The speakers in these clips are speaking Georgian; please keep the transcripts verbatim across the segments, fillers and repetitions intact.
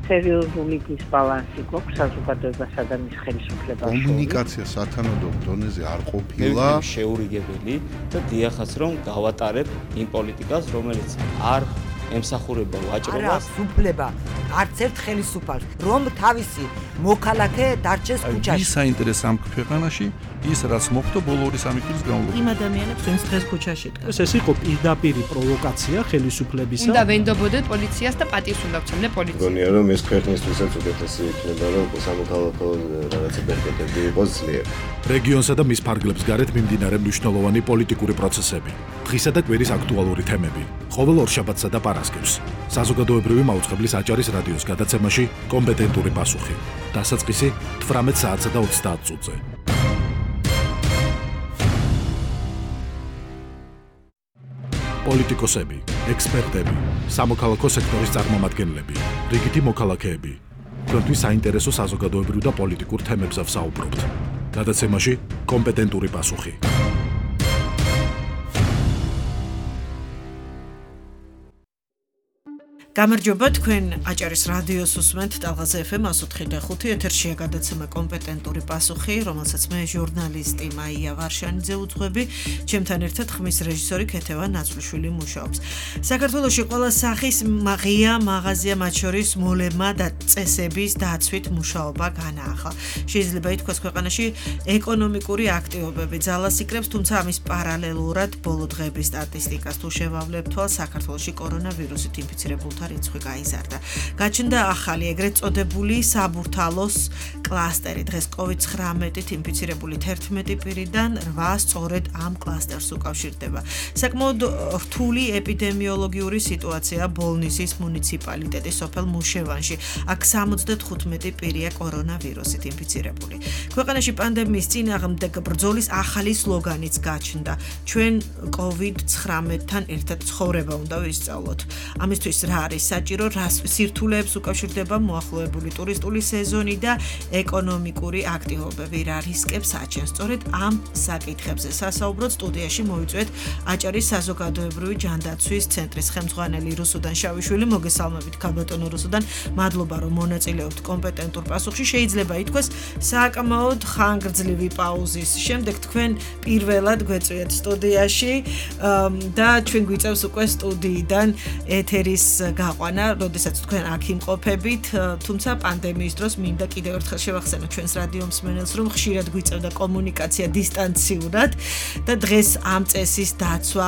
სერიოზული დისბალანსი გვაქვს საზოგადოებასა და მის ხელისუფლებას. კომუნიკაცია სათანადო დონეზე არ ყოფილა. შეურიგებელი და დიახაც რომ გავატარებ იმ პოლიტიკას, რომელიც არ ემსახურება ვაჭრობას. არა, უფლება არც ერთ ხელისუფალს, რომ თავისი მოქალაქე დარჩეს ქუჩაში. ის საინტერესო ამ ქვეყანაში ის რაც მოხდა ბოლო ორი სამი წლის განმავლობაში. იმ ადამიანებს ვინც დღეს ქუჩაში დგას. ეს იყო პირდაპირი პროვოკაცია ხელისუფლებისა. უნდა ვენდობოდეთ პოლიციას და პატივს უნდა ვცემდე პოლიციას. მგონია რომ ეს ქვეყნისთვისაც უკეთესი იქნება რომ სამოქალაქო რაღაცა ბერკეტები იყოს ძლიერ. რეგიონსა და მის ფარგლებს გარეთ მიმდინარე მნიშვნელოვანი პოლიტიკური პროცესები, დღისა და კვირის აქტუალური თემები, ყოველ ორშაბათსა და პარასკევს. საზოგადოებრივი მაუწყებლის აჭარის რადიოს გადაცემაში კომპეტენტური პასუხი. დასაწყისი თვრამეტ საათსა და ოცდაათ წუთზე. პოლიტიკოსები, ექსპერტები, სამოქალაქო სექტორის წარმომადგენლები, რიგითი მოქალაქეები. თქვენთვის საინტერესო საზოგადოებრივ და პოლიტიკურ თემებზე ვსაუბრობთ. გადაცემაში კომპეტენტური პასუხი. გამარჯობა, თქვენ აჭარის რადიოს უსმენთ ტალღაზე ეფ ემ one oh five ეთერშია გადაცემა კომპეტენტური პასუხი, რომელსაც მე ჟურნალისტი მაია ვარშანიძე უძღვები, ჩემთან ერთად ხმის რეჟისორი ქეთევა ნაცვლიშვილი მუშაობს. საქართველოში ყველა სახის ღია მაღაზია, მათ შორის მოლებმა და წესების დაცვით მუშაობა განაახლა. შეიძლება ითქვას, ქვეყანაში ეკონომიკური აქტივობები ძალას იკრებს, თუმცა ამის პარალელურად ბოლო დღეების სტატისტიკას თუ შევავლებთ თვალს, საქართველოში კორონავირუსით ინფიცირებულთა რიცხვი გაიზარდა. გაჩნდა ახალი ეგრეთ წოდებული საბურთალოს კლასტერი. დღეს კოვიდ ცხრამეტით ინფიცირებული თერთმეტი პირიდან რვა სწორედ ამ კლასტერს უკავშირდება. საკმაოდ რთული ეპიდემიოლოგიური სიტუაცია ბოლნისის მუნიციპალიტეტის სოფელ მუშევანში. აქ სამოცდათხუთმეტი პირია კორონავირუსით ინფიცირებული. ქვეყანაში პანდემიის წინააღმდეგ ბრძოლის ახალი სლოგანიც გაჩნდა. ჩვენ კოვიდ ცხრამეტთან ერთად ცხოვრება უნდა ვისწავლოთ. ამისთვის რა არის საჭირო, რას სირთულეებს უკავშირდება მოახლოებული ტურისტული სეზონი და ეკონომიკური აქტივობები, რა რისკებს აჩენს. სწორედ ამ საკითხებზე სასაუბროთ სტუდიაში მოვიწვიეთ აჭარის საზოგადოებრივი ჯანდაცვის ცენტრის ხელმძღვანელი რუსუდან შავიშვილი. მოგესალმებით ქალბატონო რუსუდან, მადლობა რომ მონაწილეობთ კომპეტენტურ პასუხში. შეიძლება ითქვას, საკმაოდ ხანგრძლივი პაუზის შემდეგ თქვენ პირველად გვეწვიეთ სტუდიაში და ჩვენ გვიწევს უკვე სტუდიიდან ეთერის გაყვანა, როდესაც თქვენ აქ იმყოფებით, თუმცა პანდემიის დროს მინდა კიდევ ერთხელ შევახსენო ჩვენს რადიო მსმენელს, რომ ხშირად გვიწევდა კომუნიკაცია დისტანციურად და დღეს ამ წესის დაცვა,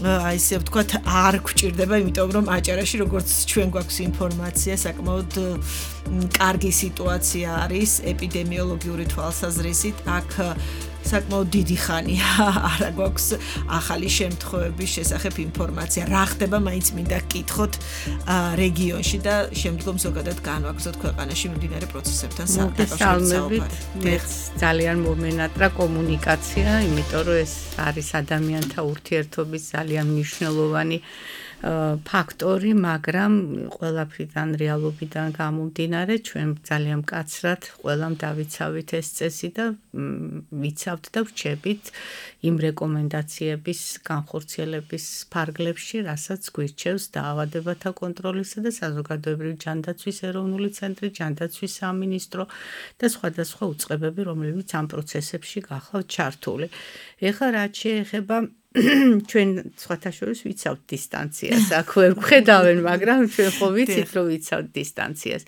აი ესე ვთქვათ, არ გვჭირდება, იმიტომ რომ აჭარაში, როგორც ჩვენ გვაქვს ინფორმაცია, საკმაოდ კარგი სიტუაცია არის ეპიდემიოლოგიური თვალსაზრისით. აქ საკმაოდ დიდი ხანია არა გვაქვს ახალი შემთხვევების შესახებ ინფორმაცია. რა ხდება, მაინც მინდა გკითხოთ რეგიონში და შემდგომ ზოგადად განვაგრძოთ ქვეყანაში მიმდინარე პროცესებთან საკავშირო. მეც ძალიან მომენატრა კომუნიკაცია, იმიტომ რომ ეს არის ადამიანთა ურთიერთობის ძალიან მნიშვნელოვანი ფაქტორი, მაგრამ ყველაფრიდან რეალობიდან გამომდინარე ჩვენ ძალიან მკაცრად ყველამ დავიცავით ეს წესი და ვიცავთ და ვჩებით იმ რეკომენდაციების განხორციელების ფარგლებში, რასაც გვირჩევს დაავადებათა კონტროლისა და საზოგადოებრივი ჯანდაცვის ეროვნული ცენტრი, ჯანდაცვის სამინისტრო და სხვადასხვა უწყებები, რომლებიც ამ პროცესებში გახლავთ ჩართული. ეხლა რაც შეეხება ჩვენ სხვათა შორის ვიცავთ დისტანციას, აქ ვერ ვხედავენ, მაგრამ ჩვენ ხო ვიცით, რომ ვიცავთ დისტანციას.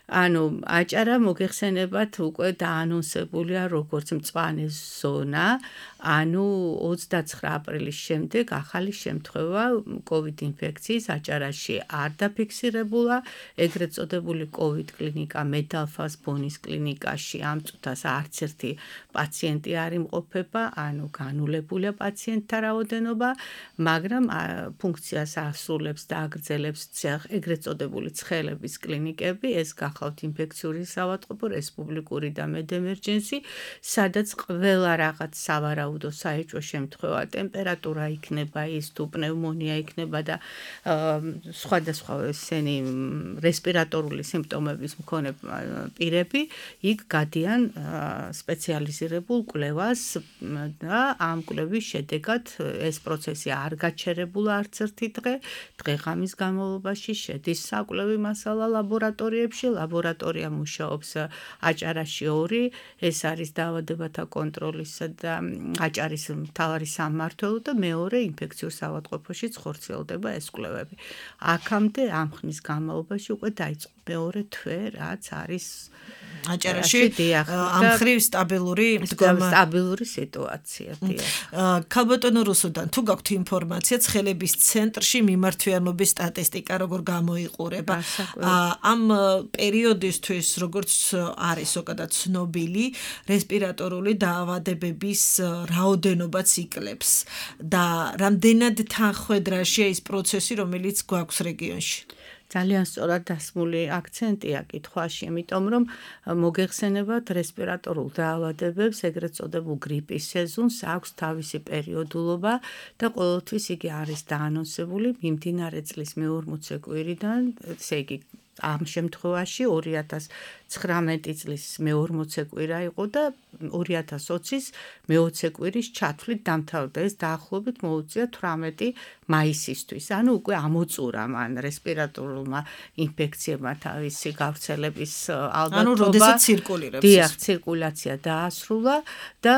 ანუ აჭარა მოგეხსენებათ უკვე დაანონსებულია როგორც მწვანე ზონა, ანუ ოცდაცხრა აპრილის შემდეგ ახალი შემთხვევა კოვიდ ინფექციის აჭარაში არ დაფიქსირებულა. ეგრეთ წოდებული კოვიდ კლინიკა მედალფას ბონის კლინიკაში ამ წუთას არც ერთი პაციენტი არ იმყოფება, ანუ განულებულია პაციენტთა რაოდენობა, მაგრამ ფუნქციას ასრულებს და აგრძელებს ეგრეთ წოდებული ცხელების კლინიკები, ეს გახლავთ ინფექციური სავატყობო, რესპუბლიკური და მედემერჯენსი, სადაც ყველა რაღაც სავარაუდო საეჭვო შემთხვევა, ტემპერატურა იქნება ის, თუ პნევმონია იქნება და სხვადასხვა ესენი რესპირატორული სიმპტომების მქონე პირები, იქ გადიან სპეციალიზირებულ კვლევას და ამ კვლევის შედეგად ეს პროცესი არ გაჩერებულა არც ერთი დღე, დღე-ღამის განმავლობაში შედის საკვლევი მასალა ლაბორატორიებში, ლაბორატორია მუშაობს აჭარაში ორი, ეს არის დაავადებათა კონტროლისა და აჭარის მთავარი სამმართველო და მეორე ინფექციურ სავატყობოში ხორციელდება ეს კვლევები. აქამდე ამ ხნის განმავლობაში უკვე დაიწყო მეორე თვე, რაც არის აჭარაში ამ ხრივ სტაბილური მდგომა სტაბილური სიტუაცია. ქალბატონო რუსუდან, თუ გაქვთ ინფორმაცია ცხელების ცენტრში მიმართვიანობის სტატისტიკა როგორ გამოიყურება? ამ პერიოდისთვის როგორც არის ზოგადად ცნობილი, რესპირატორული დაავადებების რაოდენობაც იკლებს და რამდენად თანხვედრაშია ის პროცესი, რომელიც გვაქვს რეგიონში? ძალიან სწორად დასმული აქცენტია კითხვაში, იმიტომ რომ მოგეხსენებათ რესპირატორულ დაავადებებს, ეგრეთ წოდებულ გრიპის სეზონს აქვს თავისი პერიოდულობა და ყოველთვის იგი არის დაანონსებული მიმდინარე წლის მეორმოცე კვირიდან, ესე იგი ამ შემთხვევაში ორი ათას ცხრამეტი წლის მეორმოცე კვირა იყო და ორი ათას ოცის მეოცე კვირის ჩათვლით დამთავრდა. ეს დაახლოებით მოუწია თვრამეტი მაისისთვის. ანუ უკვე ამოწურა მან რესპირატორულმა ინფექციებმა თავისი გავრცელების ალბათობა. ანუ როდესაც ცირკულირებს. დიახ, ცირკულაცია დაასრულა და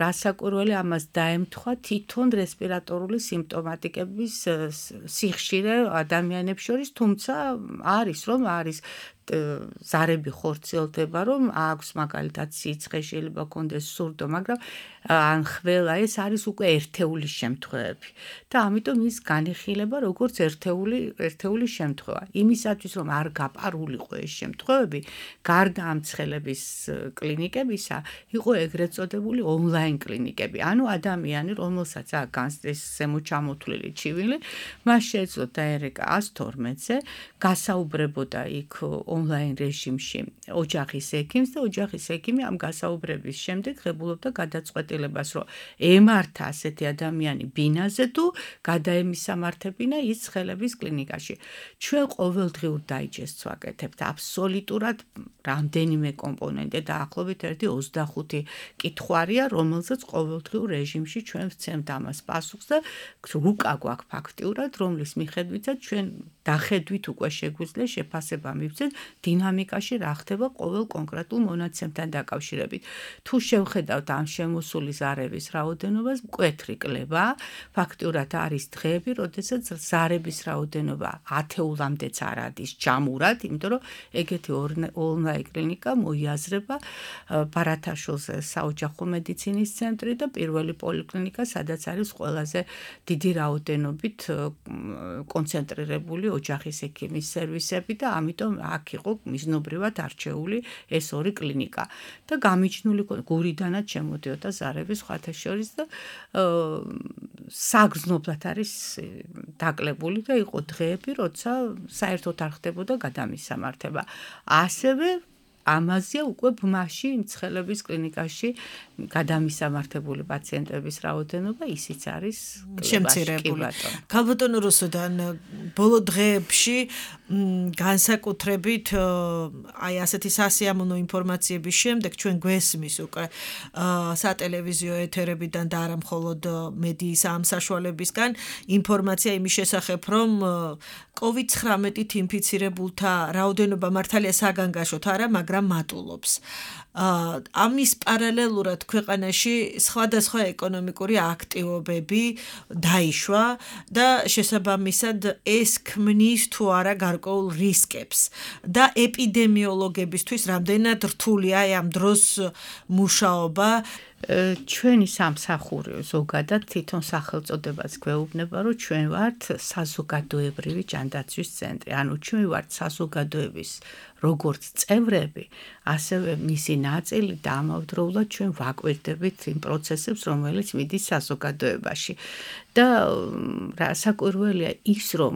რასაკვირველი ამას დაემთხვა თვითონ რესპირატორული სიმპტომატიკების სიხშირე ადამიანებს შორის, თუმცა არის რომ არის ზარები ხორციელდება, რომ აქვს მაგალითად სიცხე, შეიძლება კონდეს სურდო, მაგრამ ან ხველა ეს არის უკვე ერთეული შემთხვევები და ამიტომ ის განიხილება როგორც ერთეული ერთეული შემთხვევა. იმისათვის რომ არ გაპარულიყო ეს შემთხვევები, გარდა ამ ცხელების კლინიკებისა, იყო ეგრეთ წოდებული ონლაინ კლინიკები. ანუ ადამიანი, რომელსაც აქვს ეს ზემოჩამოთვლილი ჩივილი, მას შეეძლო დაერეკა ას თორმეტზე, გასაუბრებოდა იქ ონლაინ რეჟიმში ოჯახის ექიმს და ოჯახის ექიმი ამ გასაუბრების შემდეგ ღებულობდა გადაწყვეტილებას, რომ ემართა ასეთი ადამიანი ბინაზე თუ გადაემისამართებინა ის ცხელების კლინიკაში. ჩვენ ყოველდღიურ დაიჯესტს ვაკეთებთ აბსოლუტურად რამდენიმე კომპონენტი და ახლობით ერთი ოცდახუთი კითხვარია, რომელზეც ყოველდღიურ რეჟიმში ჩვენ ვცემთ ამას პასუხს და რუკა გვაქვს ფაქტიურად, რომლის მიხედვითაც ჩვენ დახედვით უკვე შეგვიძლია შეფასება მივცეთ დინამიკაში რა ხდება ყოველ კონკრეტულ მონაცემთან დაკავშირებით. თუ შევხედავთ ამ შემოსული ზარების რაოდენობას, მკვეთრი კლება, ფაქტიურად არის დღეები, როდესაც ზარების რაოდენობა ათეულამდეც არ არის ჯამურად, იმიტომ რომ ეგეთი ონლაინ კლინიკა მოიაზრება ბარათაშვილზე საოჯახო მედიცინის ცენტრი და პირველი პოლიკლინიკა, სადაც არის ყველაზე დიდი რაოდენობით კონცენტრირებული ოჯახის ექიმის სერვისები და ამიტომ აქ იყო მიზნობრივად არჩეული ეს ორი კლინიკა და გამიჩნული გურიდანაც შემოდიოდა ზარების სხვათა შორის და საგრძნობლად არის დაკლებული და იყო დღეები, როცა საერთოდ არ ხდებოდა გადამისამართება. ასევე ამაზეა უკვე ბმაში მცხელების კლინიკაში გადამისამართებული პაციენტების რაოდენობა ისიც არის შემცირებული. ქალბატონო რუსუდან, ბოლო დღეებში განსაკუთრებით აი ასეთი სასიამოვნო ინფორმაციების შემდეგ ჩვენ გვესმის უკვე სატელევიზიო ეთერებიდან და არა მხოლოდ მედიის ამ საშუალებისგან ინფორმაცია იმის შესახებ, რომ კოვიდ ცხრამეტით ინფიცირებულთა რაოდენობა მართალია საგანგაშოთ არა, მაგრამ მატულობს. ამის პარალელურად ქვეყანაში სხვადასხვა ეკონომიკური აქტივობები დაიშვა და შესაბამისად ეს ქმნის თუ არა გარკვეულ რისკებს და ეპიდემიოლოგებისთვის რამდენად რთულია ამ დროს მუშაობა. ჩვენი სამსახური ზოგადად თვითონ სახელწოდებას გვეუბნება, რომ ჩვენ ვართ საზოგადოებრივი ჯანდაცვის ცენტრი. ანუ ჩვენ ვართ საზოგადოების როგორც წევრები, ასევე მისი ნაწილი და ამავდროულად ჩვენ ვაკვირდებით იმ პროცესებს, რომელიც მიდის საზოგადოებაში. და რასაკვირველია ის, რომ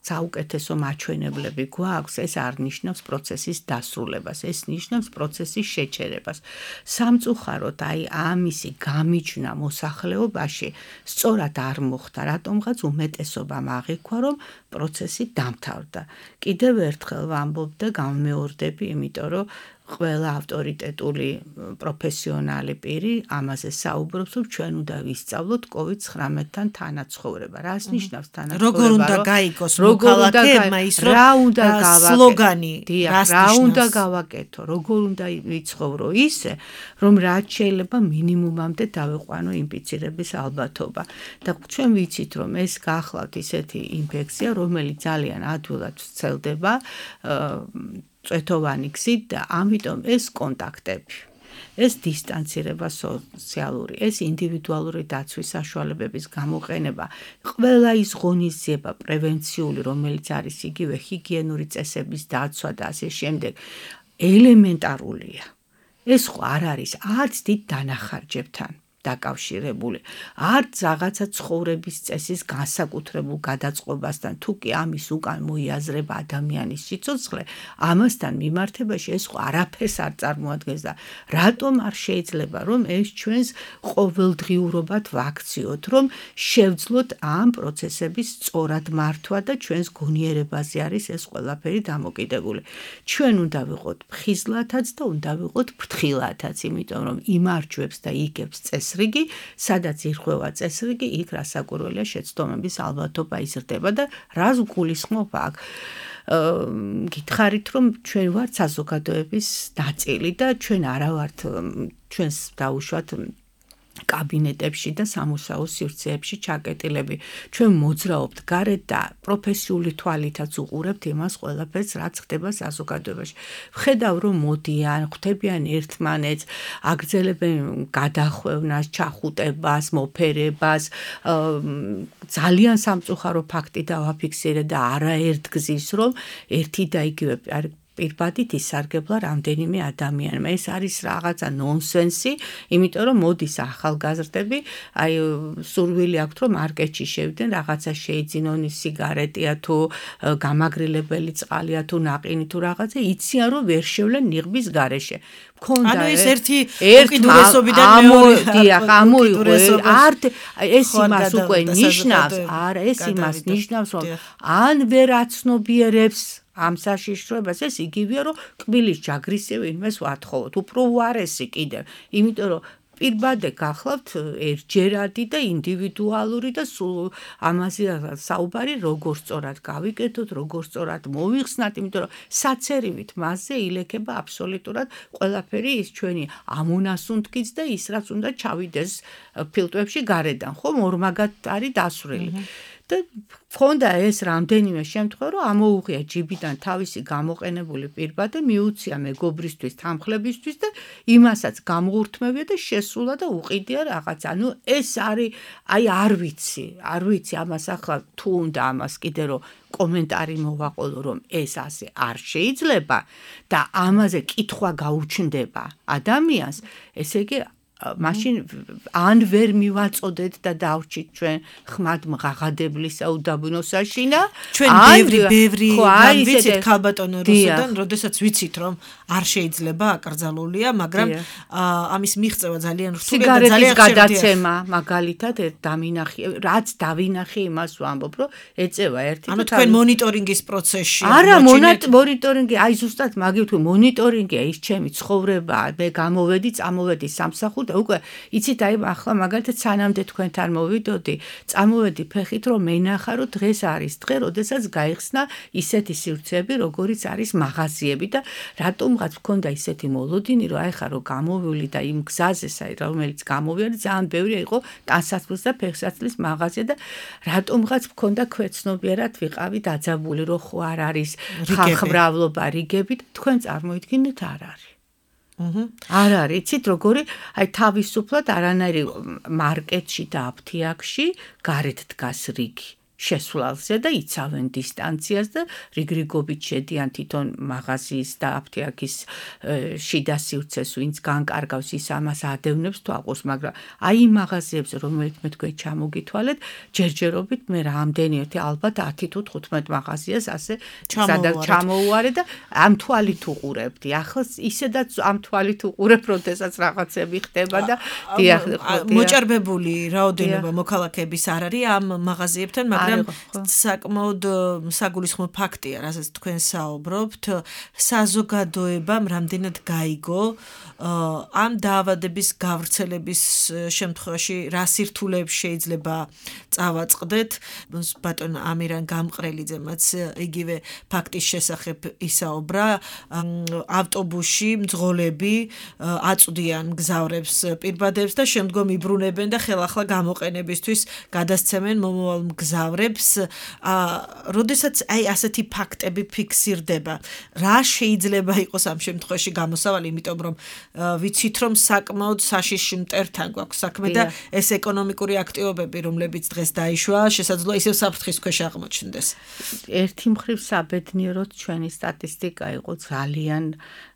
საუკეთესო მაჩვენებლები გვაქვს, ეს არ ნიშნავს პროცესის დასრულებას, ეს ნიშნავს პროცესის შეჩერებას. სამწუხაროდ აი ამისი გამიჯვნა მოსახლეობაში სწორად არ მოხდა, რატომღაც უმეტესობამ აღიქვა, რომ პროცესი დამთავრდა. კიდევ ერთხელ ვამბობ და გამმეორდები, იმიტომ რომ ყველა ავტორიტეტული პროფესიონალი პირი ამაზე საუბრობს, რომ ჩვენ უნდა ვისწავლოთ კოვიდ ცხრამეტთან თანაცხოვრება. რას ნიშნავს თანაცხოვრება? როგორ უნდა გაიგოს მოქალაქეებმა ის რომ რა უნდა გავაკეთო? სლოგანი რას რა უნდა გავაკეთო? როგორ უნდა ვიცხოვრო ისე, რომ რაც შეიძლება მინიმუმამდე დავიყვანო ინფიცირების ალბათობა. და ჩვენ ვიცით, რომ ეს გახლავთ ისეთი ინფექცია, რომელიც ძალიან ადვილად ვრცელდება წვეთოვანი გზით და ამიტომ ეს კონტაქტები, ეს დისტანცირება სოციალური, ეს ინდივიდუალური დაცვის საშუალებების გამოყენება, ყველა ის ღონისძიება პრევენციული, რომელიც არის იგივე ჰიგიენური წესების დაცვა და ასე შემდეგ, ელემენტარულია. ეს ხო არ არის არც დიდ დანახარჯებთან დაკავშირებული, არც რაღაცა ცხოვრების წესის განსაკუთრებულ გადაწყობასთან, თუ კი ამის უკან მოიაზრება ადამიანის სიცოცხლე, ამასთან მიმართებაში ეს ხო არაფერს არ წარმოადგენს და რატომ არ შეიძლება რომ ეს ჩვენს ყოველდღიურობად ვაქციოთ, რომ შევძლოთ ამ პროცესების სწორად მართვა და ჩვენს გონიერებაზე არის ეს ყველაფერი დამოკიდებული. ჩვენ უნდა ვიყოთ ფხიზლათაც და უნდა ვიყოთ ფრთხილათაც, იმიტომ რომ იმარჯვებს და იგებს წესრიგი, სადაც ირღვევა წესრიგი, იქ რასაკვირველია შეცდომების ალბათობა იზრდება და რას გულისხმობ აქ? გითხარით, რომ ჩვენ ვართ საზოგადოების ნაწილი და ჩვენ არა ვართ ჩვენს დაუშვათ კაბინეტებში და სამუშაო სივრცეებში ჩაკეტილები. ჩვენ მოძრაობთ გარეთ და პროფესიული თვალითაც უყურებთ იმას ყველაფერს, რაც ხდება საზოგადოებაში. ვხედავ, რომ მოდიან, ხვდებიან ერთმანეთს, აგრძელებენ გადახვევნას, ჩახუტებას, მოფერებას. ძალიან სამწუხარო ფაქტი დავაფიქსირე და არაერთგზის, რომ ერთი და იგივე პირბადით ისარგებლა რამდენიმე ადამიანმა. ეს არის რაღაცა ნონსენსი, იმიტომ რომ მოდის ახალგაზრდები, აი სურვილი აქვთ, რომ მარკეტში შევიდნენ, რაღაცა შეიძინონ, სიგარეტია თუ გამაგრილებელი წყალია თუ ნაყინი თუ რაღაცა, იციან რომ ვერ შევლენ ნიღბის გარეშე. ანუ ეს ერთი უკიდურესობიდან მეორე ამოიღო ართ ეს იმას უკვე ნიშნავს, არა ეს იმას ნიშნავს, რომ ან ვერ აცნობიერებს ამ საშიშროებას, ეს იგივეა, რომ კბილის ჯაგრის ვინმეს ვათხოვოთ, უფრო უარესი კიდევ, იმიტომ რომ პირბადე გახლავთ ერთჯერადი და ინდივიდუალური და სულ ამაზე საუბარი როგორ სწორად გავიკეთოთ, როგორ სწორად მოვიხსნათ, იმიტომ რომ საცერივით მასზე ილექება აბსოლუტურად ყველაფერი ის ჩვენი ამონასუნთქიც და ის რაც უნდა ჩავიდეს ფილტვებში გარედან, ხო, ორმაგად არის დასვრილი. და ქონდა ეს რამდენიმე შემთხვევა, რომ ამოუღია ჯიბიდან თავისი გამოყენებული პირბადე, მიუცია მეგობრისთვის, თანხლებისთვის და იმასაც გამოურთმევია და შესულა და უყიდია რაღაც. ანუ ეს არის, აი არ ვიცი, არ ვიცი ამას ახლა თუ უნდა ამას კიდე რომ კომენტარი მოვაყოლო, რომ ეს ასე არ შეიძლება და ამაზე კითხვა გაუჩნდება ადამიანს, ესე იგი მაშინ ან ვერ მივაწოდეთ და დავრჩით ჩვენ ხმად მღაღადებლისა უდაბნოსაშინა, ჩვენ ბევრი ბევრი ვიცით ქალბატონო რუსუდან, როდესაც ვიცით რომ არ შეიძლება აკრძალულია, მაგრამ ამის მიღწევა ძალიან რთულია და ძალიან ხშირია. გადაცემა მაგალითად დამინახე, რაც დავინახე იმას ვამბობ, რომ ეწევა ერთი ანუ თქვენ მონიტორინგის პროცესში არა მონიტორინგი, აი ზუსტად მაგით მონიტორინგია ის ჩემი ცხოვრება, მე გამოვედი, წამოვედი სამსახურ და უკვე იცით აი ახლა მაგალითად სანამდე თქვენთან მოვიდოდი, წამოვედი ფეხით რომ მენახა რომ დღეს არის დღე, როდესაც გაიხსნა ისეთი სივრცეები, როგორიც არის მაღაზიები და რატომღაც მქონდა ისეთი მოლოდინი, რომ აი ხა რომ გამოვული და იმ გზაზე, რომელიც გამოვიდა, ძალიან ბევრი იყო ტანსაცმლის და ფეხსაცმლის მაღაზია და რატომღაც მქონდა ქვეცნობიერად ვიყავი დაძაბული, რომ ხო არ არის ხალხმრავლობა რიგები და თქვენ წარმოიდგინეთ არ არის. არ არის, იცით როგორი, აი თავისუფლად არანაირი მარკეტში და აფთიაქში გარეთ დგას რიგი. შესვლალზე და იცავენ დისტანციას და რიგრიგობით შედიან თვითონ მაღაზიის და აფთიაქის შიდა სივრცეს, ვინც განკარგავს ის ამას ადევნებს თვალყურს, მაგრამ აი იმ მაღაზიებს, რომელიც მე თქვენ ჩამოგითვალეთ, ჯერჯერობით მე რამდენი ერთი ალბათ ათი თუ თხუთმეტ მაღაზიას ასე ჩამოუვარეთ და ამ თვალით უყურებდი. ახლა ისედაც ამ თვალით უყურებ, როდესაც რაღაცები ხდება და დიახ, მოჭარბებული რაოდენობა მოქალაქეების არ არის ამ მაღაზიებთან, მაგრამ საკმაოდ საგულისხმო ფაქტია, რასაც თქვენ საუბრობთ, საზოგადოებამ რამდენად გაიგო ამ დაავადების გავრცელების შემთხვევაში რა სირთულეებს შეიძლება წავაწყდეთ. ბატონ ამირან გამყრელიძემაც იგივე ფაქტის შესახებ ისაუბრა. ავტობუსში მძღოლები აწვდიან მგზავრებს პირბადებს და შემდგომ იბრუნებენ და ხელახლა გამოყენებისთვის გადასცემენ მომავალ მგზავრებს. როდესაც აი ასეთი ფაქტები ფიქსირდება, რა შეიძლება იყოს ამ შემთხვევაში გამოსავალი, იმიტომ რომ ვიცით რომ საკმაოდ საშიში მტერთან გვაქვს საქმე და ეს ეკონომიკური აქტივობები, რომლებიც დღეს დაიშვა, შესაძლოა ისევ საფრთხის ქვეშ აღმოჩნდეს. ერთი მხრივ საბედნიეროდ ჩვენი სტატისტიკა იყო ძალიან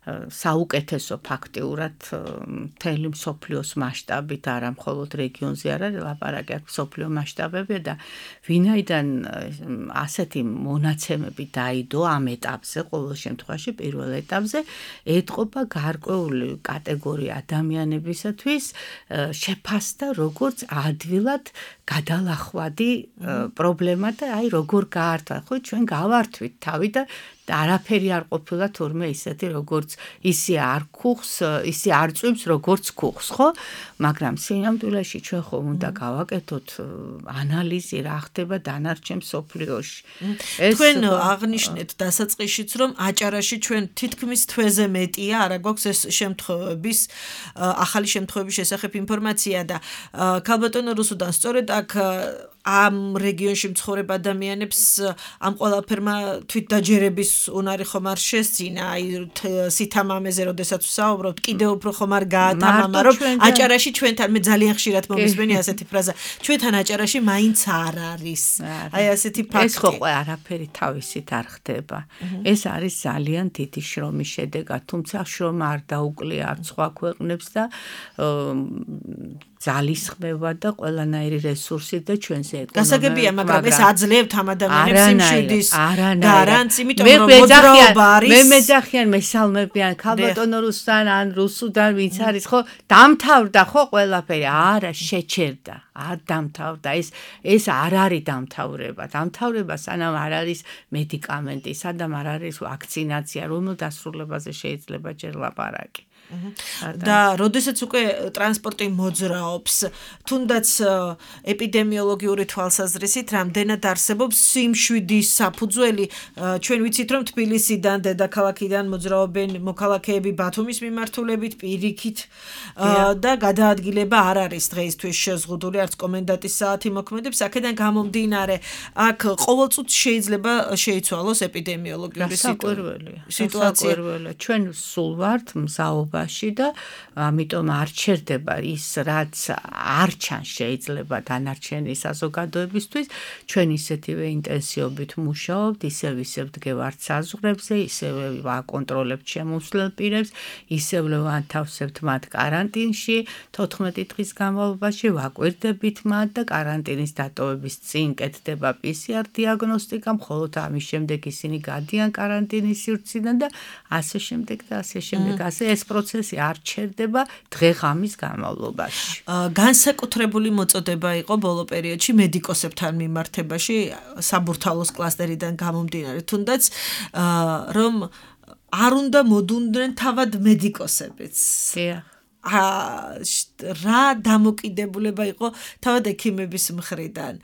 საუკეთესო ფაქტიურად მთელი მსოფლიოს მასშტაბით, არა მხოლოდ რეგიონზე არა, ლაპარაკი აქვს მსოფლიო მასშტაბები და ვინაიდან ასეთი მონაცემები დაიდო ამ ეტაპზე, ყოველ შემთხვევაში პირველ ეტაპზე ეთყობა გარკვეული კატეგორია ადამიანებისათვის შეფასდა როგორც ადვილად გადალახვადი პრობლემა და აი როგორ გაართვა, ხო ჩვენ გავართვით თავი და და არაფერი არ ყოფილა თურმე ისეთი როგორც ისე არ ქუხს, ისე არ წვიმს როგორც ქუხს, ხო? მაგრამ სინამდვილეში ჩვენ ხომ უნდა გავაკეთოთ ანალიზი რა ხდება დანარჩენ მსოფლიოში. თქვენ აღნიშნეთ დასაწყისშიც რომ აჭარაში ჩვენ თითქმის თვეზე მეტია, არა გვაქვს ეს შემთხვევების ახალი შემთხვევების შესახებ ინფორმაცია და ქალბატონო რუსუდან სწორედ აქ ამ რეგიონში მცხოვრებ ადამიანებს ამ ყველაფერმა თვითდაჯერების უნარი ხომ არ შესძინა, აი სითამამეზე როდესაც ვსაუბრობთ, კიდევ უფრო ხომ არ გაათამამა, რომ აჭარაში ჩვენთან მე ძალიან ხშირად მომისმენი ასეთი ფრაზა, ჩვენთან აჭარაში მაინც არ არის. აი ასეთი ფაქტი. ეს ხო არაფერი თავისით არ ხდება. ეს არის ძალიან დიდი შრომის შედეგად, თუმცა შრომა არ დაუკლია არც სხვა ქვეყნებს და ძალისხმევა და ყველანაირი რესურსი და ჩვენზე ეკონომიკა. გასაგებია, მაგრამ ეს აძლევთ ამ ადამიანებს სიმშვიდის გარანტს, იმიტომ რომ მოძრაობა არის. მე მეძახიან, მესალმებიან, ქალბატონო რუსუდან ან რუსუდან ვინც არის, ხო, დამთავრდა ხო ყველაფერი? არა, შეჩერდა. არ დამთავრდა. ეს ეს არ არის დამთავრება. დამთავრება სანამ არ არის მედიკამენტი, სანამ არ არის ვაქცინაცია, რომელ დასრულებაზე შეიძლება ჯერ ლაპარაკი. და როდესაც უკვე ტრანსპორტი მოძრაობს, თუნდაც ეპიდემიოლოგიური თვალსაზრისით რამდენად არსებობს სიმშვიდის საფუძველი, ჩვენ ვიცით რომ თბილისიდან, დედაქალაქიდან მოძრაობენ მოქალაქეები ბათუმის მიმართულებით, პირიქით და გადაადგილება არ არის დღეისთვის შეზღუდული, არც კომენდანტის საათი მოქმედებს, აქედან გამომდინარე, აქ ყოველწუთს შეიძლება შეიცვალოს ეპიდემიოლოგიური სიტუაცია. ჩვენ სულ ვართ მზაობა და ამიტომ არ ჩერდება ის რაც არ ჩანს შეიძლება დანარჩენი საზოგადოებისთვის ჩვენ ისეთივე ინტენსივობით მუშაობთ ისევ ისევ დგევართ საზღვრებზე ისევ ვაკონტროლებთ შემოსვლელ პირებს ისევ ვანთავსებთ მათ კარანტინში თოთხმეტი დღის განმავლობაში ვაკვირდებით მათ და კარანტინის დატოვების წინ კეთდება პი სი არ დიაგნოსტიკა მხოლოდ ამის შემდეგ ისინი გადიან კარანტინის სივრციდან და ასე შემდეგ და ასე შემდეგ ასე ეს პროცესი არ ჩერდება დღე-ღამის განმავლობაში. განსაკუთრებული მოწოდება იყო ბოლო პერიოდში მედიკოსებთან მიმართებაში საბურთალოს კლასტერიდან გამომდინარე, თუნდაც რომ არ უნდა მოდუნდნენ თავად მედიკოსებიც. რა დამოკიდებულება იყო თავად ექიმების მხრიდან.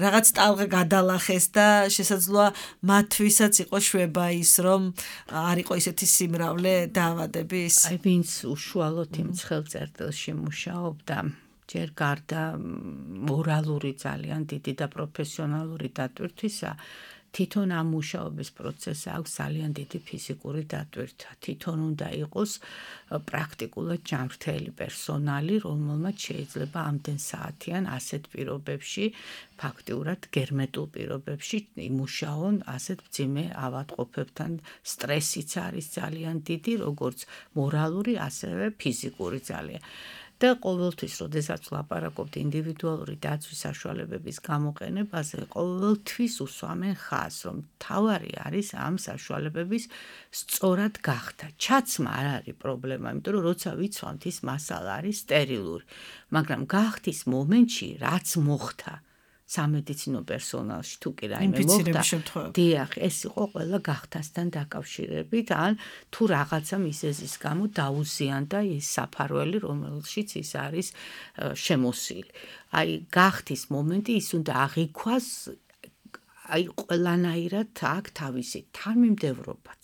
რაღაც ტალღა გადალახეს და შესაძლოა მათთვისაც იყო შვება ის, რომ არ იყო ისეთი სიმრავლე დაავადების. აი ვინც უშუალოდ იმ ხელწერტილში მუშაობდა, ჯერ გარდა მორალური ძალიან დიდი და პროფესიონალური დატვირთვისა, თვითონ ამ მუშაობის პროცესს აქვს ძალიან დიდი ფიზიკური დატვირთვა. თვითონ უნდა იყოს პრაქტიკულად ჯანმრთელი პერსონალი, რომელმაც შეიძლება ამდენ საათიან ასეთ პირობებში, ფაქტიურად გერმეტულ პირობებში იმუშაონ ასეთ მძიმე ავადმყოფებთან. სტრესიც არის ძალიან დიდი, როგორც მორალური, ასევე ფიზიკური ძალიან. და ყოველთვის, როდესაც ვლაპარაკობთ ინდივიდუალური დაცვის საშუალებების გამოყენებაზე, ყოველთვის უსვამენ ხაზს, რომ თავარი არის ამ საშუალებების სწორად გახდა. ჩაცმა არ არის პრობლემა, იმიტომ რომ როცა ვიცვამთ, ის მასალა არის სტერილური, მაგრამ გახდის მომენტში, რაც მოხდა სამედიცინო პერსონალში თუ კი რაიმე მოხდა, დიახ, ეს იყო ყველა გახთასთან დაკავშირებით, ან თუ რაღაცა მიზეზის გამო დაუზიანდა ის საფარველი, რომელშიც ის არის შემოსილი. აი, გახდის მომენტი, ის უნდა აღიქვას, აი, ყველანაირად აქ თავისი თანმიმდევრობაც,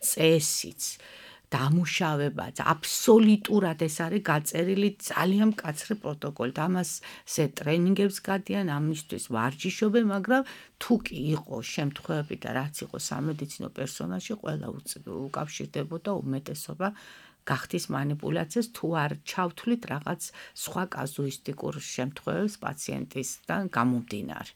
წესიც, დამუშავებაც, აბსოლუტურად ეს არის გაწერილი ძალიან მკაცრი პროტოკოლით. ამასზე ტრენინგებს გადიან, ამისთვის ვარჯიშობენ, მაგრამ თუ კი იყო შემთხვევები და რაც იყო სამედიცინო პერსონალში, ყველა უკავშირდებოდა უმეტესობა გახდის манипуляციას, თუ არ ჩავთვლით რაღაც სხვა კაზუისტიკურ შემთხვევებს პაციენტისგან გამომდინარე.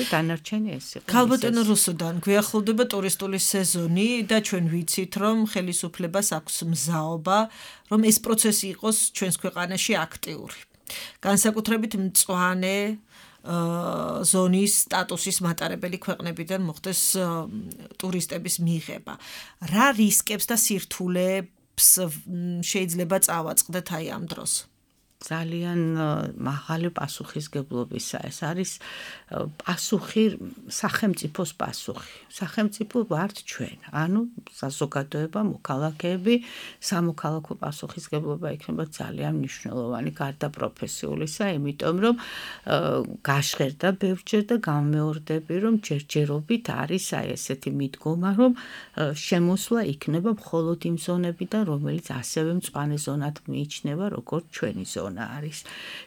დანარჩენი ეს იყო. ქალბატონო რუსუდან, გვიახლოვდება ტურისტული სეზონი და ჩვენ ვიცით, რომ ხელისუფლებას აქვს მზაობა, რომ ეს პროცესი იყოს ჩვენს ქვეყანაში აქტიური. განსაკუთრებით მწვანე ზონის სტატუსის მატარებელი ქვეყნებიდან მოხდეს ტურისტების მიღება. რა რისკებს და სირთულეებს შეიძლება წავაწყდეთ აი ამ დროს? ძალიან მაღალი პასუხისგებლობისა. ეს არის პასუხი, სახელმწიფოს პასუხი. სახელმწიფო ვართ ჩვენ, ანუ საზოგადოება, მოქალაქეები, სამოქალაქო პასუხისგებლობა იქნება ძალიან მნიშვნელოვანი გარდა პროფესიულისა, იმიტომ რომ გაშღერდა ბევრჯერ და გამეორდები, რომ ჯერჯერობით არის აი ესეთი მიდგომა, რომ შემოსვლა იქნება მხოლოდ იმ ზონებიდან, რომელიც ასევე მწვანე ზონად მიიჩნევა, როგორც ჩვენი ზონა არის.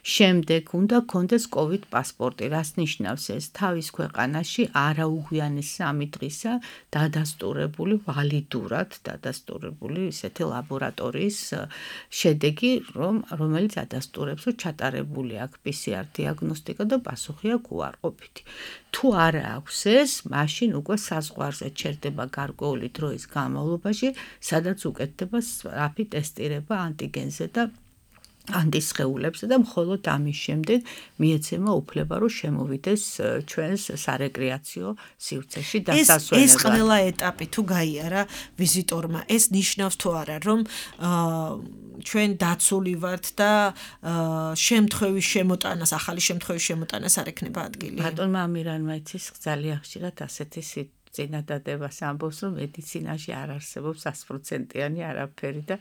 შემდეგ უნდა გქონდეს COVID პასპორტი, რაც ნიშნავს ეს თავის ქვეყანაში არაუგვიანეს სამი დღისა დადასტურებული ვალიდურად დადასტურებული ისეთი ლაბორატორიის შედეგი, რომ რომელიც ადასტურებს, რომ ჩატარებული აქვს პი სი არ დიაგნოსტიკა და პასუხი აქვს უარყოფითი. თუ არ აქვს ეს, მაშინ უკვე საზღვარზე ჩერდება გარკვეული დროის განმავლობაში, სადაც უკეთდება სწრაფი ტესტირება ანტიგენზე და ანტისხეულებსა და მხოლოდ ამის შემდეგ მიეცემა უფლება, რომ შემოვიდეს ჩვენს სარეკრეაციო სივრცეში დასასვენებლად. ეს ყველა ეტაპი თუ გაიარა ვიზიტორმა, ეს ნიშნავს თუ არა, რომ ჩვენ დაცული ვართ და შემთხვევის შემოტანას, ახალი შემთხვევის შემოტანას არ ექნება ადგილი? ბატონმა ამირანმა იცის ძალიან ხშირად ასეთი წინადადებას ამბობს, რომ მედიცინაში არ არსებობს ასპროცენტიანი არაფერი და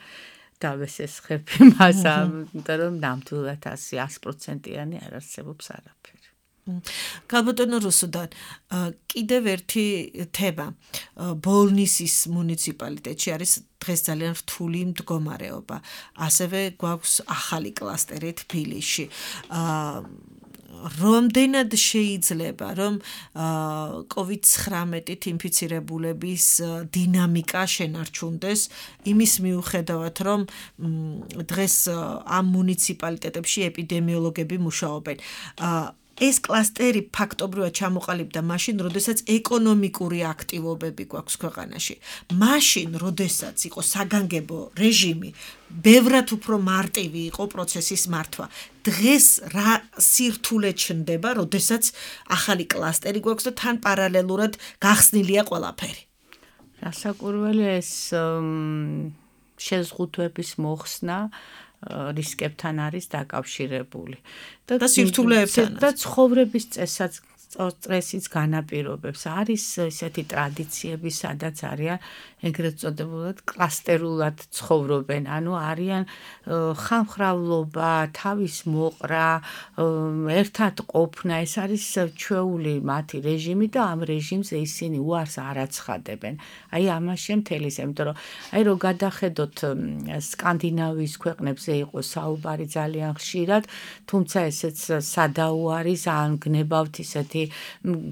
დავესესხები მას, იმიტომ რომ ნამდვილად ასი პროცენტიანი არ არსებობს არაფერი. ქალბატონო რუსუდან, კიდევ ერთი თემა. ბოლნისის მუნიციპალიტეტში არის დღეს ძალიან რთული მდგომარეობა. ასევე გვაქვს ახალი კლასტერი თბილისში. Რამდენად შეიძლება, რომ COVID ცხრამეტით ინფიცირებულების დინამიკა შენარჩუნდეს, იმის მიუხედავად, რომ დღეს ამ მუნიციპალიტეტებში ეპიდემიოლოგები მუშაობენ. ეს კლასტერი ფაქტობრივად ჩამოყალიბდა მაშინ, როდესაც ეკონომიკური აქტივობები გვაქვს ქვეყანაში. მაშინ, როდესაც იყო საგანგებო რეჟიმი, ბევრად უფრო მარტივი იყო პროცესის მართვა. დღეს რა სირთულე ჩნდება, როდესაც ახალი კლასტერი გვაქვს და თან პარალელურად გახსნილია ყველაფერი. რასაკვირველია ეს შეზღუდვების მოხსნა რისკებთან არის დაკავშირებული და სირთულეებთან და ცხოვრების წესაც სტრესის განაპირობებს. არის ესეთი ტრადიციები, სადაც არიან ეგრეთ წოდებულად კლასტერულად ცხოვრობენ, ანუ არიან ხამხრავლობა, თავის მოყრა, ერთად ყოფნა, ეს არის ჩვეული მათი რეჟიმი და ამ რეჟიმზე ისინი უარს არ აცხადებენ. აი ამაში მთელისა, იმიტომ რომ აი რო გადახედოთ სკანდინავიის ქვეყნებზე იყო საუბარი ძალიან ხშირად, თუმცა ესეც სადაო არის, ან გნებავთ ისეთი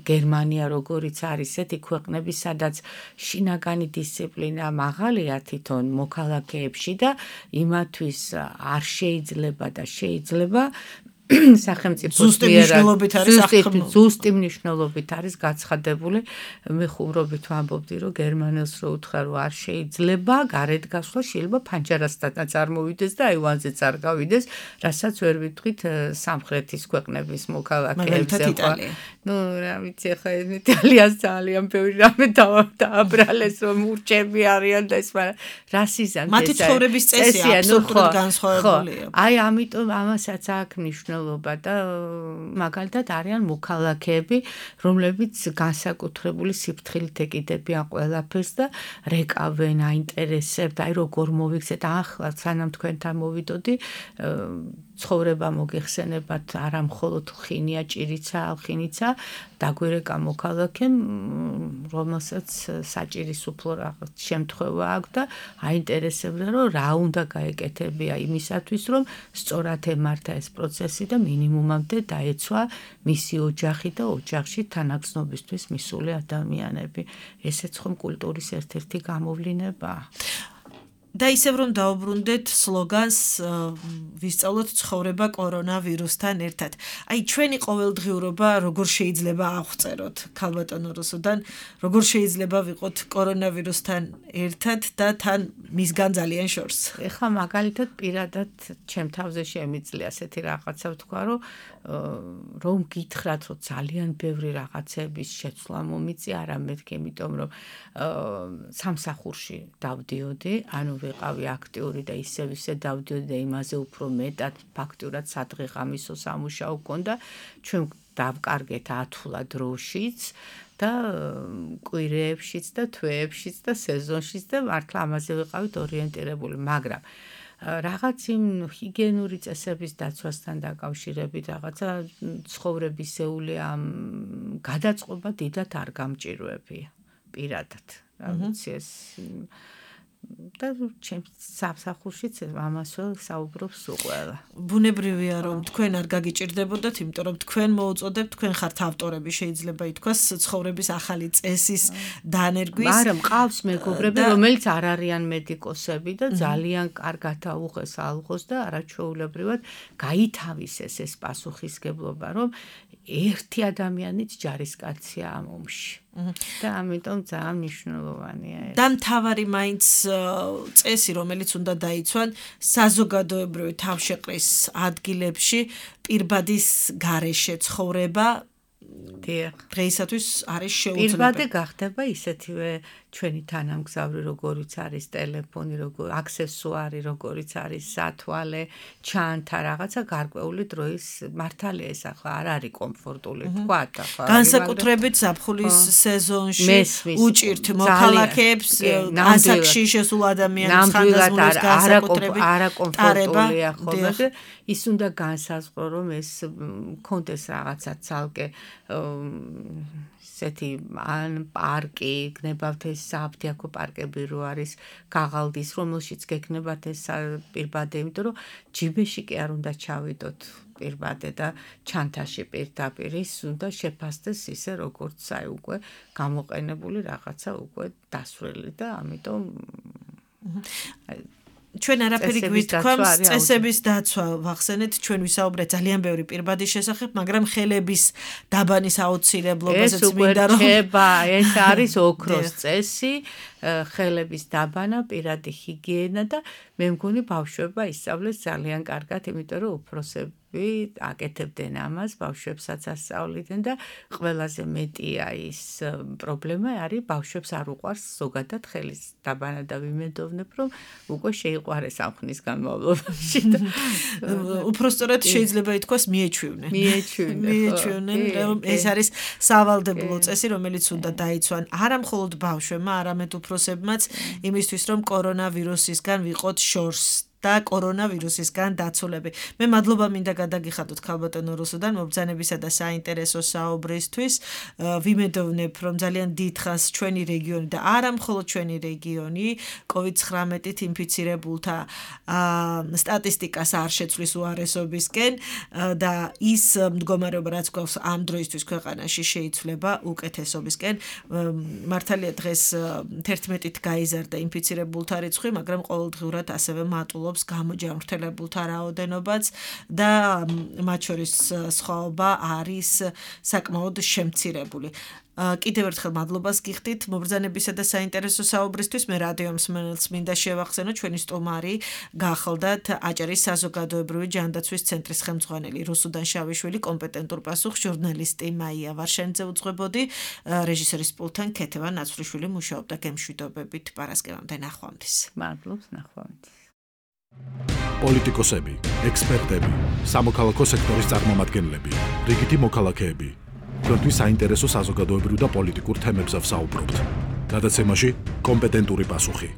გერმანია როგორიც არის ესეთი ქვეყნები, სადაც შინაგანი დისციპლინა მაღალია თვითონ მოქალაქეებში და იმათვის არ შეიძლება და შეიძლება სახელმწიფოს მიერად ზუსტი მნიშვნელობით არის გაცხადებული. მე ხუმრობით ვამბობდი, რომ გერმანელს რო უთხრა, რომ არ შეიძლება გარეთ გასვლა, შეიძლება ფანჯარასთანაც არ მოვიდეს და აივანზეც არ გავიდეს, რასაც ვერ ვიტყვით სამხრეთის ქვეყნების მოქალაქეებზე. ნუ რა ვიცი, ხა იტალიას ძალიან ბევრი რამე დააბრალეს, რომ მურჩები არიან და ეს, მაგრამ რასიზმი მათი ცხოვრების წესი აბსოლუტურად განსხვავებულია. აი, ამიტომ ამასაც აქვს მნიშვნელობა და მაგალითად არიან მოქალაქეები, რომლებიც განსაკუთრებული სიფრთხილით ეკიდებიან ყველაფერს და რეკავენ, აინტერესებთ, აი როგორ მოვიქცეთ, ახლა სანამ თქვენთან მოვიდოდი, ცხოვრება მოგეხსენებათ არა მხოლოდ ხინია, ჭირიცა, ალხინიცა, დაგვირეკა მოქალაქემ, რომელსაც საჭირის უფლო რაღაც შემთხვევა აქვს და აინტერესებდა, რომ რა უნდა გაეკეთებია იმისათვის, რომ სწორად ემართა ეს პროცესი და მინიმუმამდე დაეცვა მისი ოჯახი და ოჯახში თანაგრძნობისთვის მისული ადამიანები. ესეც ხომ კულტურის ერთ-ერთი გამოვლინებაა. და ისევ რომ დაუბრუნდეთ სლოგანს ვისწავლოთ ცხოვრება კორონავირუსთან ერთად. აი ჩვენი ყოველდღიურობა როგორ შეიძლება აღწეროთ ქალბატონო რუსუდან, როგორ შეიძლება ვიყოთ კორონავირუსთან ერთად და თან მისგან ძალიან შორს. ეხლა მაგალითად პირადად ჩემ თავზე შემიძლია ასეთი რაღაცა ვთქვა, რომ რომ გითხრათ, რომ ძალიან ბევრი რაღაცების შეცვლა მომიწია, არა მეთქი, იმიტომ რომ სამსახურში დავდიოდი, ანუ ვიყავი აქტიური და ისევ ისე დავდიოდი და იმაზე უფრო მეტად ფაქტურად სადღეღამისო სამუშაო გქონდა, ჩვენ დავკარგეთ ათვლა დროშიც და კვირეებშიც და თვეებშიც და სეზონშიც და მართლა ამაზე ვიყავით ორიენტირებული, მაგრამ რაღაც იმ ჰიგიენური წესების დაცვასთან დაკავშირებით რაღაცა ცხოვრებისეული ამ გადაწყობა დიდად არ გამჭირვებია პირადად. რა ვიცი ეს და ჩემს სამსახურშიც ამასვე საუბრობს უყველა. ბუნებრივია რომ თქვენ არ გაგიჭირდებოდათ, იმიტომ რომ თქვენ მოუწოდებთ, თქვენ ხართ ავტორები, შეიძლება ითქვას ცხოვრების ახალი წესის დანერგვის. მაგრამ ყავს მეგობრები, რომელიც არ არიან მედიკოსები და ძალიან კარგად აუღეს ალღოს და არაჩვეულებრივად გაითავისეს ეს პასუხისგებლობა, რომ ერთი ადამიანიც ჯარისკაცია ამ ომში. და ამიტომ ძალიან მნიშვნელოვანია ეს. და მთავარი მაინც წესი, რომელიც უნდა დაიცვან საზოგადოებრივი თავშეყრის ადგილებში პირბადის გარეშე ცხოვრება დღეისათვის არის შეუძლებელი. პირბადე გახდება ისეთივე ჩვენი თანამგზავრი, როგორიც არის ტელეფონი, როგორ აქსესუარი, როგორიც არის სათვალე, ჩანთა, რაღაცა გარკვეული დროის მართალია ეს ახლა არ არის კომფორტული, თქვათ ახლა. განსაკუთრებით ზაფხულის სეზონში უჭირთ მოქალაქეებს ასაკში შესულ ადამიანებს ხანდაზმულებს განსაკუთრებით არაკომფორტულია ხოლმე და ის უნდა განსაზღვრო, რომ ეს მქონდეს რაღაცა ცალკე ესეთი ან პარკი, გნებავთ ეს საფთიაქო პარკები რო არის გაღალდის, რომელშიც გეკნებათ ეს პირბადე, იმიტომ რომ ჯიბეში კი არ უნდა ჩავიდოთ პირბადე და ჩანთაში პირდაპირ ის უნდა შეფასდეს ისე როგორც აი უკვე გამოყენებული რაღაცა უკვე დასვრელი და ამიტომ ჩვენ არაფერი გვითქვამს წესების დაცვა ვახსენეთ, ჩვენ ვისაუბრეთ ძალიან ბევრი პირბადის შესახებ, მაგრამ ხელების დაბანის აუცილებლობასაც მინდა რომ ეს არის ოქროს წესი, ხელების დაბანა, პირადი ჰიგიენა და მე მგონი ბავშვებმა ისწავლეს ძალიან კარგად, იმიტომ რომ უფროსები აკეთებდნენ ამას, ბავშვებსაც ასწავლიდნენ და ყველაზე მეტია ის პრობლემა არის ბავშვებს არ უყვარს ზოგადად ხელის დაბანა და ვიმედოვნებ, რომ უკვე შეიყვარეს ამ ხნის განმავლობაში და უпростоრად შეიძლება ითქვას მიეჩვივნენ. მიეჩვივნენ. მიეჩვივნენ, რომ ეს არის სავალდებულო წესი, რომელიც უნდა დაიცვან არა მხოლოდ ბავშვებმა, არამედ უფროსებმაც, იმისთვის რომ კორონავირუსისგან ვიყოთ შორს და კორონავირუსისგან დაცულები. მე მადლობა მინდა გადაგიხადოთ ქალბატონო რუსუდან მობრძანებისა და საინტერესო საუბრისთვის. ვიმედოვნებ, რომ ძალიან დიდხანს ჩვენი რეგიონი და არა მხოლოდ ჩვენი რეგიონი კოვიდ ცხრამეტით ინფიცირებულთა სტატისტიკას არ შეცვლის უარესობისკენ და ის მდგომარეობა რაც გვაქვს ამ დროისთვის ქვეყანაში შეიცვლება უკეთესობისკენ. მართალია დღეს თერთმეტით გაიზარდა ინფიცირებულთა რიცხვი, მაგრამ ყოველდღიურად ასევე მატულობს გამოჯანმრთელებულთა რაოდენობაც და მათ შორის სხვაობა არის საკმაოდ შემცირებული. კიდევ ერთხელ მადლობას გიხდით მობრძანებისა და საინტერესო საუბრისთვის. მე რადიო მსმენელს მინდა შევახსენო, ჩვენი სტუმარი გახლდათ აჭარის საზოგადოებრივი ჯანდაცვის ცენტრის ხელმძღვანელი რუსუდან შავიშვილი, კომპეტენტურ პასუხს ჟურნალისტი მაია ვარშანიძე უძღვებოდი, რეჟისორის პულტთან ქეთევა ნაცვლიშვილი მუშაობდა. გემშვიდობებით პარასკევამდე ნახვამდის. მადლობს, ნახვამდის. პოლიტიკოსები, ექსპერტები, სამოქალაქო სექტორის წარმომადგენლები, რიგითი მოქალაქეები თქვენთვის საინტერესო საზოგადოებრივ და პოლიტიკურ თემებზე ვსაუბრობთ. გადაცემაში კომპეტენტური პასუხი.